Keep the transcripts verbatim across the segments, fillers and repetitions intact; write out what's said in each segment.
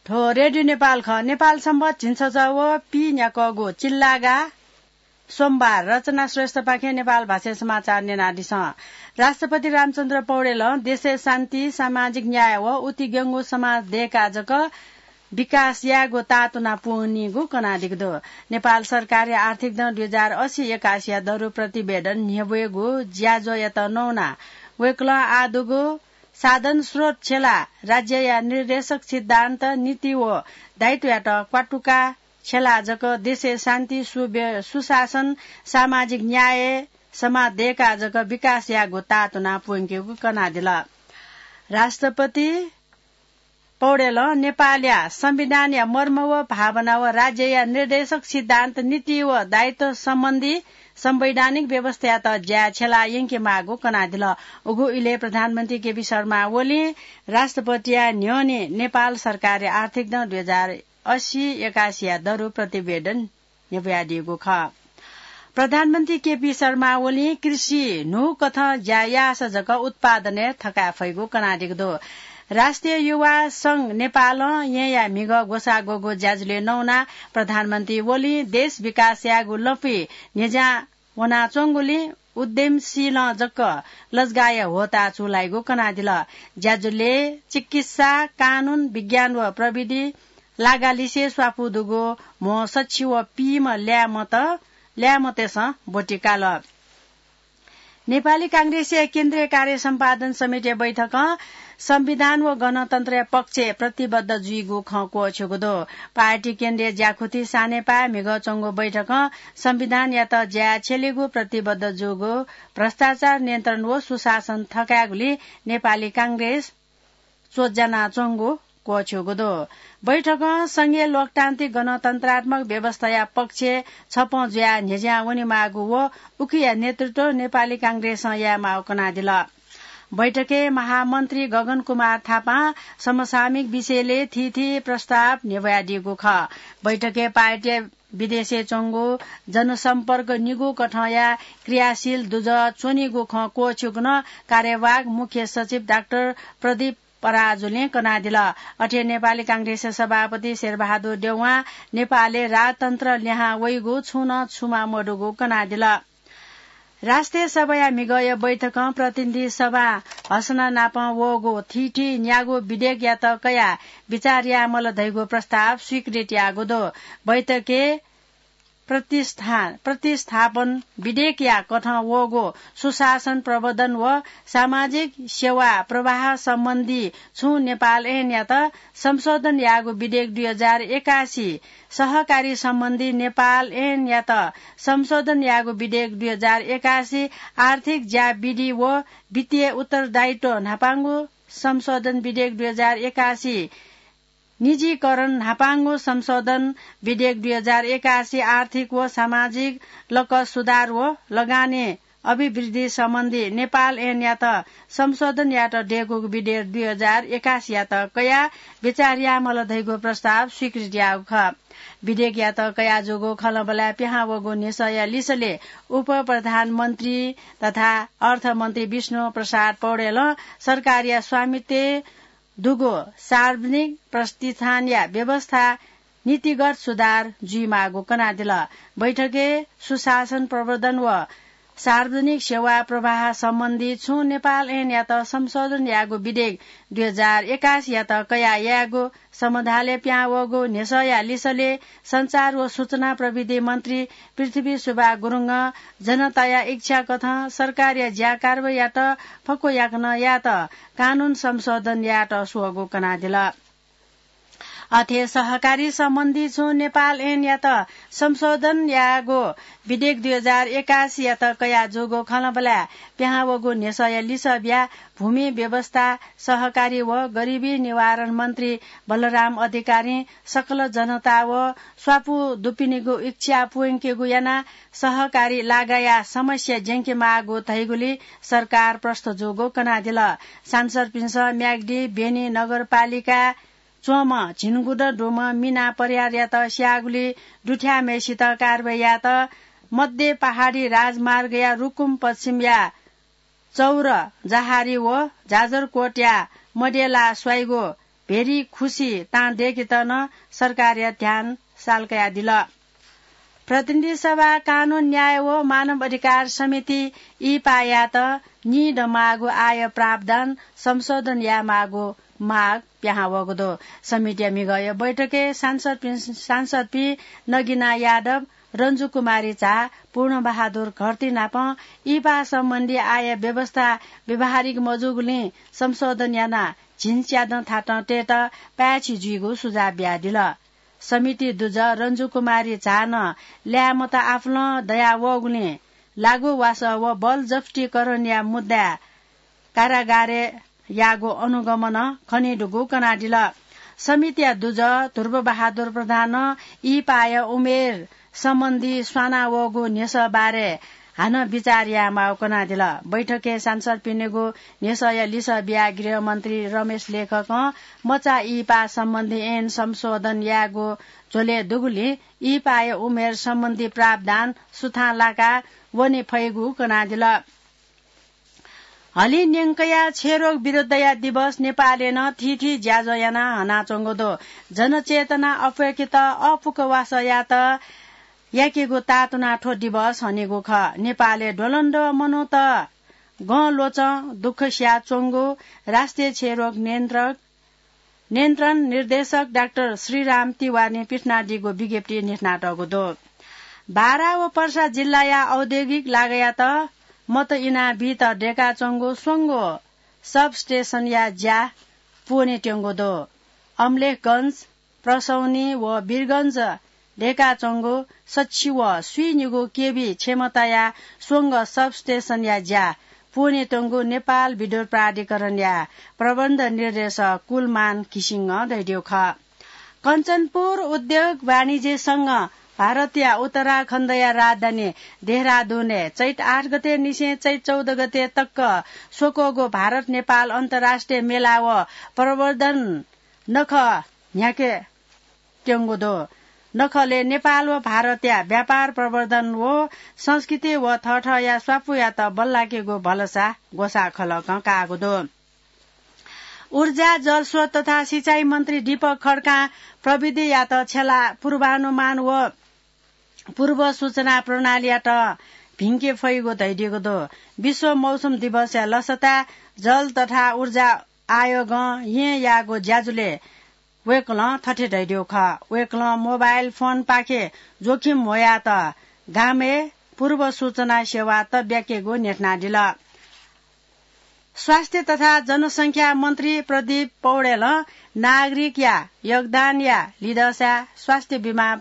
थ्व रेडियो नेपाल खः। नेपाल संवत झिंछसः व पीन्याक्वःगु चिल्लागा सोमबार। रचना श्रेष्ठपाखें नेपाल भाषाय् समाचार न्यनादिसँ। राष्ट्रपति रामचन्द्र पौडेलं देशय् शान्ति, सामाजिक न्याय व उतिग्यंगु समाज दय्काः जक विकास यायेगु ताःतुना पूवनीगु कनादीगु दु। नेपाल सरकारया आर्थिक दँ दुई हजार असी एकासीया दरु प्रतिवेदन न्ह्यब्वयेगु ज्याझ्वःयात नवानाः वय्कलं आः दुगु साधन स्रोत छ्यलाः राज्यया निर्देशक सिद्धान्त, नीति व दायित्वयात क्वातुका छ्यलाः जक देशय् शान्ति, सुव्य-, सुशासन, सामाजिक न्याय, समाज दय्काः जक विकास यायेगु ताःतुना पूवंकेगु कनादिल। राष्ट्रपति पौडेलं नेपालया संविधानया मर्म व भावना व राज्यया निर्देशक सिद्धान्त, नीति व दायित्व सम्बन्धी संवैधानिक व्यवस्थायात ज्याय् छ्यलाः यंकेमाःगु कनादिल। उगु इलय् प्रधानमन्त्री केपी शर्मा ओलीं राष्ट्रपतिया न्ह्यःने नेपाल सरकारया आर्थिक दँ दुई हजार असी एकासीया दरु प्रतिवेदन न्ह्यब्वयादीगु खः। प्रधानमन्त्री केपी शर्मा ओलीं कृषि न्हूकथं ज्या याःसा जक उत्पादनय् थकाये फइगु कनादीगु दु। राष्ट्रिय युवा संघ नेपालं येँया म्हिगः ग्वसाः ग्वःगु ज्याझ्वलय् नवानाः प्रधानमन्त्री ओलीं देश विकास यायेगु लँपुइ न्ह्यज्यां वनाच्वंगुलिं उद्यमशीलं जक लजगाःया ह्वःताः चूलाइगु कनादिल। ज्याझ्वलय् चिकित्सा, कानून, विज्ञान व प्रविधि लागालिसे स्वापू दुगु म्हो सछि व पीम्ह ल्याय्मत, ल्याय्मतय्सं ब्वति काल। नेपाली कांग्रेसया केन्द्रीय कार्य सम्पादन समितिया बैठकं संविधान व गणतन्त्रया पक्षय् प्रतिबद्ध जुइगु खँ क्वःछ्यूगु दु। पार्टी केन्द्रीय ज्याखुथि सानेपाय् म्हिगः च्वंगु बैठकं संविधानयात ज्याय् छ्यलेगु, प्रतिबद्ध जूगु, भ्रष्टाचार नियन्त्रण व सुशासन थकायेगुलिं नेपाली कांग्रेस च्वज्यानाच्वंगु क्वःछ्यूगु दु। बैठकं संघीय लोकतान्त्रिक गणतन्त्रात्मक व्यवस्थाया पक्षय् छपँ जुयाः न्ह्यज्यां वनेमाःगु व उकिया नेतृत्व नेपाली कांग्रेसं यायेमाःगु कनादिल। बैठकय् महामन्त्री गगन कुमार थापां समसामयिक विषयलय् थीथी प्रस्ताव न्ह्यब्वयादीगु खः। बैठकय् पार्टीया विदेशय् च्वंगु जनसम्पर्क निगू कथंया क्रियाशील दुजः च्वनीगु खँ क्वःछ्यूगु नं कार्यवाहक मुख्य सचिव डाक्टर प्रदीप पराजुलीं कनादिल। अथे नेपाली कांग्रेसया सभापति शेरबहादुर देउवां नेपालय् राजतन्त्र लिहां वइगु छुं नं छुमा मदुगु कनादिल। राष्ट्रिय सभाया म्हिगःया बैठकं प्रतिनिधि सभां हसना नाप वःगु थीथी न्यागू विधेयकयात कयाः विचार यायेमाल धइगु प्रस्ताव स्वीकृत याःगु दु। बैठकय् प्रतिष्ठान, प्रतिस्थापन विधेयकया कथं वःगु सुशासन प्रवर्धन व सामाजिक सेवा प्रवाह सम्बन्धी छुं नेपाल ऐनयात संशोधन याःगु विधेयक दुई हजार एकासी, सहकारी सम्बन्धी नेपाल ऐनयात संशोधन याःगु विधेयक दुई हजार एकासी, आर्थिक ज्या विधि व वित्तीय उत्तरदायित्व न्हापांगु संशोधन विधेयक दुई हजार एकासी, निजीकरण न्हापांगु संशोधन विधेयक दुई हजार एकासी, आर्थिक व सामाजिक लकः सुधार व लगानी अभिवृद्धि सम्बन्धी नेपाल ऐनयात संशोधन यायेत दयेकूगु विधेयक दुई हजार एकासीयात कयाः विचार यायेमाल धइगु प्रस्ताव स्वीकृत याःगु खः। विधेयकयात कयाः जूगु खँल्हाबल्हाय् पिहां वःगु न्ह्यसःया लिसलय् उपप्रधानमन्त्री तथा अर्थमन्त्री विष्णु प्रसाद पौडेलं सरकारया स्वामित्वय् दुगु सार्वजनिक प्रतिष्ठानया व्यवस्था नीतिगत सुधार जुइमाःगु कनादिल। बैठकय् सुशासन प्रवर्धन व सार्वजनिक सेवा प्रवाह सम्बन्धी छुं नेपाल ऐनयात संशोधन याःगु विधेयक दुई हजार एकासीयात कयाः यायेगु समाधालय् पिहां वःगु न्ह्यसःया लिसलय् सञ्चार व सूचना प्रविधि मन्त्री पृथ्वी सुब्बा गुरुङं जनताया इच्छा कथं सरकारया ज्या कारवाहीयात फक्व याकनं यायेत कानून संशोधन यायेत स्वःगु कनादिल। अथे सहकारी सम्बन्धी छुं नेपाल ऐनयात संशोधन याःगु विधेयक दुई हजार एकासीयात कयाः जूगु खँल्हाबल्हाय् पिहां वःगु न्ह्यसःया लिसः बियाः भूमि व्यवस्था, सहकारी व गरिबी निवारण मन्त्री बलराम अधिकारीं सकल जनता व स्वापू दुपिनिगु इच्छा पूवंकेगु यानाः सहकारी लागाया समस्या ज्यंकेमाःगु धइगुलिं सरकार प्रष्ट जूगु कनादिल। सांसदपिन्सं म्याग्दी, बेनी नगरपालिका च्वंम्ह झिंगुदँ दुम्ह मिना परियारयात स्याःगुलिं दुथ्याःम्हय्सित कारवाही यायेत मध्य पहाडी राजमार्गया रुकुम पश्चिमया चौर जहारी व जाजरकोटया मदेला स्वाइगु भेरी खुसी तां दय्केत नं सरकारया ध्यान साल कयादिल। प्रतिनिधि सभा कानून न्याय व मानव अधिकार समिति ईपायात नीदँ माःगु आय प्रावधान संशोधन यायेमाःगु माग पिहां वःगु दु। समितिया म्हिगःया बैठकय् सांसदपिं, सांसदपिं नगिना यादव, रन्जु कुमारी झा, पूर्ण बहादुर घरती नाप ईपा सम्बन्धी आय व्यवस्था व्यावहारिक मजूगुलिं संशोधन यानाः झिंच्यादँ थातं तयेत पाय्छि जुइगु सुझाव बियादिल। समिति दुजः रन्जु कुमारी झां ल्याय्‌म्हत आफुलं दयावःगुलिं लागू वासः व बलजफ्तीकरणया मुद्दाय् कारागारय् याःगु अनुगमनं खनीदुगु कनादिल। समितिया दुजः ध्रुव बहादुर प्रधानं ईपाया उमेर सम्बन्धी स्वानावःगु न्ह्यसः बारे हानं विचार यायेमाःगु कनादिल। बैठकय् सांसदपिनिगु न्ह्यसःया लिसः बियाः गृहमन्त्री रमेश लेखकं मचा ईपा सम्बन्धी ऐन संशोधन यायेगु झ्वलय् दुगुलिं ईपाया उमेर सम्बन्धी प्रावधान सुथां लाका वने फइगु कनादिल। हलिं न्यंकया क्षयरोग विरुद्धया दिवस नेपालय् नं थीथी ज्याझ्वः यानाः हनाच्वंगु दु। जनचेतना अप्वय्केत अःपुक वासःयात याकेगु तातुनाः थ्व दिवस हनेगु खः। नेपालय् द्वलंद्वः मनूत गं ल्वचं दुःख सियाच्वंगु राष्ट्रिय क्षयरोग नियन्त्रक नियन्त्रण निर्देशक डाक्टर श्रीराम तिवारीं पिथनादीगु विज्ञप्ति न्ह्यथनातःगु दु। बारा व पर्सा जिल्लाया औद्योगिक लागःयात मत इनाबीत दय्काच्वंगु स्वंगू सबस्टेसनया ज्या पूवनेत्यंगु दु। अमलेखगञ्ज, प्रसौनी व वीरगञ्ज दय्काच्वंगु सछि व स्वीनिगू केभी क्षमताया स्वंगू सबस्टेसनया ज्या पूवनेत्यंगु नेपाल विद्युत प्राधिकरणया प्रबन्ध निर्देशक कुलमान घिसिङं धयादीगु खः। कञ्चनपुर उद्योग वाणिज्य संघं भारतया उत्तराखण्डया राजधानी देहरादुनय् चैत आठ गते निसें चैत चौध गते तक स्वक्वःगु भारत नेपाल अन्तर्राष्ट्रिय मेला व प्रवर्धन नखः न्ह्याके त्यंगु दु। नखलय् नेपाल व भारतया व्यापार प्रवर्धन व संस्कृति व थःथःया स्वापूयात बल्लाकेगु भलसा ग्वसाः खलकं काःगु दु। ऊर्जा, जलस्रोत तथा सिँचाइ मन्त्री दीपक खड्कां प्रविधियात छ्यलाः पूर्वानुमान व पूर्व सूचना प्रणालीयात भिंके फइगु धयादीगु दु। विश्व मौसम दिवसया लसताय् जल तथा ऊर्जा आयोगं येँ याःगु ज्याझ्वलय् वय्कलं थथे धयादीगु खः। वय्कलं मोबाइल फोनपाखे जोखिम ह्वयात गामय् पूर्व सूचना सेवा तब्याकेगु न्ह्यथनादिल। स्वास्थ्य तथा जनसंख्या मन्त्री प्रदीप पौडेलं नागरिकया योगदानया लिधंसाय् स्वास्थ्य बिमा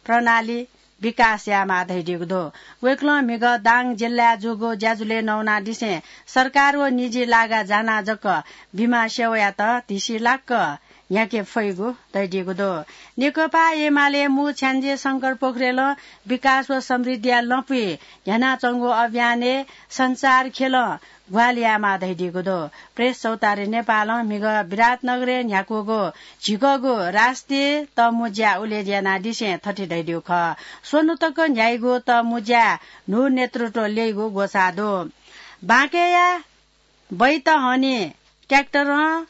प्रणाली विकास यायेमाः धयादीगु दु। वय्कलं म्हिगः दाङ जिल्लाय् जूगु ज्याझ्वलय् नवानादिसें सरकार व निजी लागा जानाः जक बिमा सेवायात धिसिलाक्क न्ह्याके फइगु धयादीगु दु। नेकपा एमाले मू छ्याञ्जे शंकर पोखरेलं विकास व समृद्धिया लँपुइ न्ह्यानाच्वंगु अभियानय् सञ्चार ख्यलं ग्वाहालि यायेमाः धयादीगु दु। प्रेस चौतारी नेपालं म्हिगः विराटनगरय् न्ह्याकूगु झिकःगु राष्ट्रिय तःमुँज्या उलेज्या यानादिसें थथे धयादीगु खः। स्वन्हु तक न्ह्याइगु तःमुँज्याय् न्हू नेतृत्व ल्यइगु ग्वसाः दु। बाँकेया बैतहनी ट्र्याक्टरं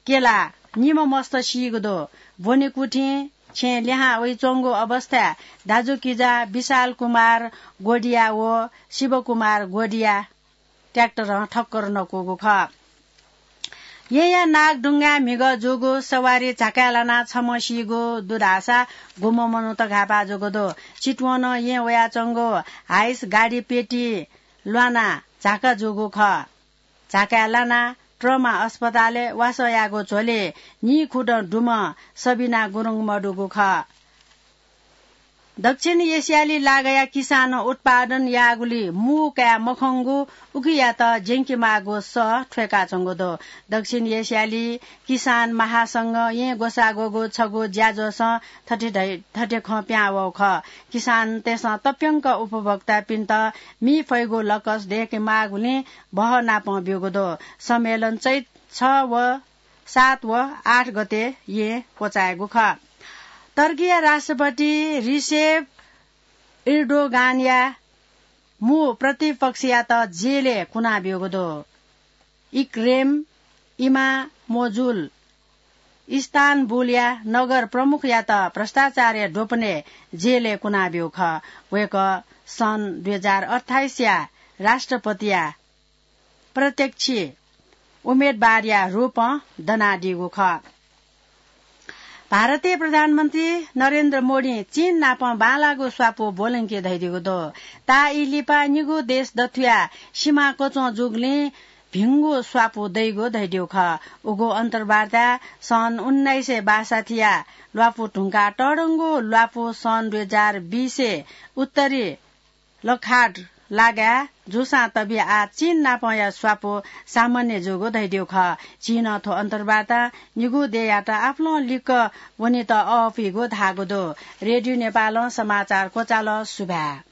क्यलाः निम्ह मस्त सीगु दु। ब्वनेकुथिं छेँ लिहां वइच्वंगु अवस्थाय् दाजुकिजा विशाल कुमार गोडिया व शिवकुमार गोडिया ट्र्याक्टरं ठक्कर नकूगु खः। येँया नागढुङ्गाय् म्हिगः जूगु सवारी झाकाय् लानाः छम्ह सीगु दु धाःसा गुम्ह मनूत घाःपाः जूगु दु। चितवनं येँ वयाच्वंगु हाइस गाडी पेटी ल्वानाः झाका जूगु खः। झाकाय् लानाः ट्रमा अस्पतालय् वासः याःगु झ्वलय् नीखुदँ दुम्ह सबिना गुरुङ मदुगु खः। दक्षिण एसियाली लागःया किसानं उत्पादन याःगुली मू काये मखंगु उकियात ज्यंकेमाःगु सः थ्वय्काच्वंगु दु। दक्षिण एसियाली किसान महासंघं येँ ग्वसाः ग्वःगु छगू ज्याझ्वलं थथे धइ-, थथे खँ पिहां वःगु खः। किसानतय्सं तप्यंक उपभोक्तापिन्त मि फइगु लकस दय्केमाःगुलिं बहःनापं ब्यूगु दु। सम्मेलन चैत छ व सात व आठ गते येँ क्वचायेगु खः। टर्कीया राष्ट्रपति रिसेप इर्दोगानया मू प्रतिपक्षयात जेलय् कुनाब्यूगु दु। इक्रेम इमामोजुल इस्तानबुलया नगर प्रमुखयात भ्रष्टाचारया द्वपनय् जेलय् कुनाब्यू खः। वय्कः सन् दुई हजार अट्ठाइसया राष्ट्रपतिया प्रत्यक्ष उम्मेदवारया रूपं दनादीगु खः। भारतीय प्रधानमन्त्री नरेन्द्र मोदीं चीन नाप बांलाःगु स्वापू ब्वलंके धयादीगु दु। ताःई लिपा निगू देश दथुया सीमा कच्वं जूगुलिं भिंगु स्वापू दइगु धयादीगु खः। उगु अन्तर्वार्ता सन् उन्नाइस सय बासठीया ल्वापू धुंकाः तःधंगु ल्वापू सन् दुई हजार बिसय् उत्तरी लखाट लागाय् जूसां तबि आः चीन नापंया स्वापू सामान्य जूगु धयादीगु खः। चीनं थ्व अन्तर्वार्तां निगू देय्‌यात आपालं लिक्क वनेत अःपुइगु धाःगु दु। रेडियो नेपालं समाचार क्वचाल। सुभाय्।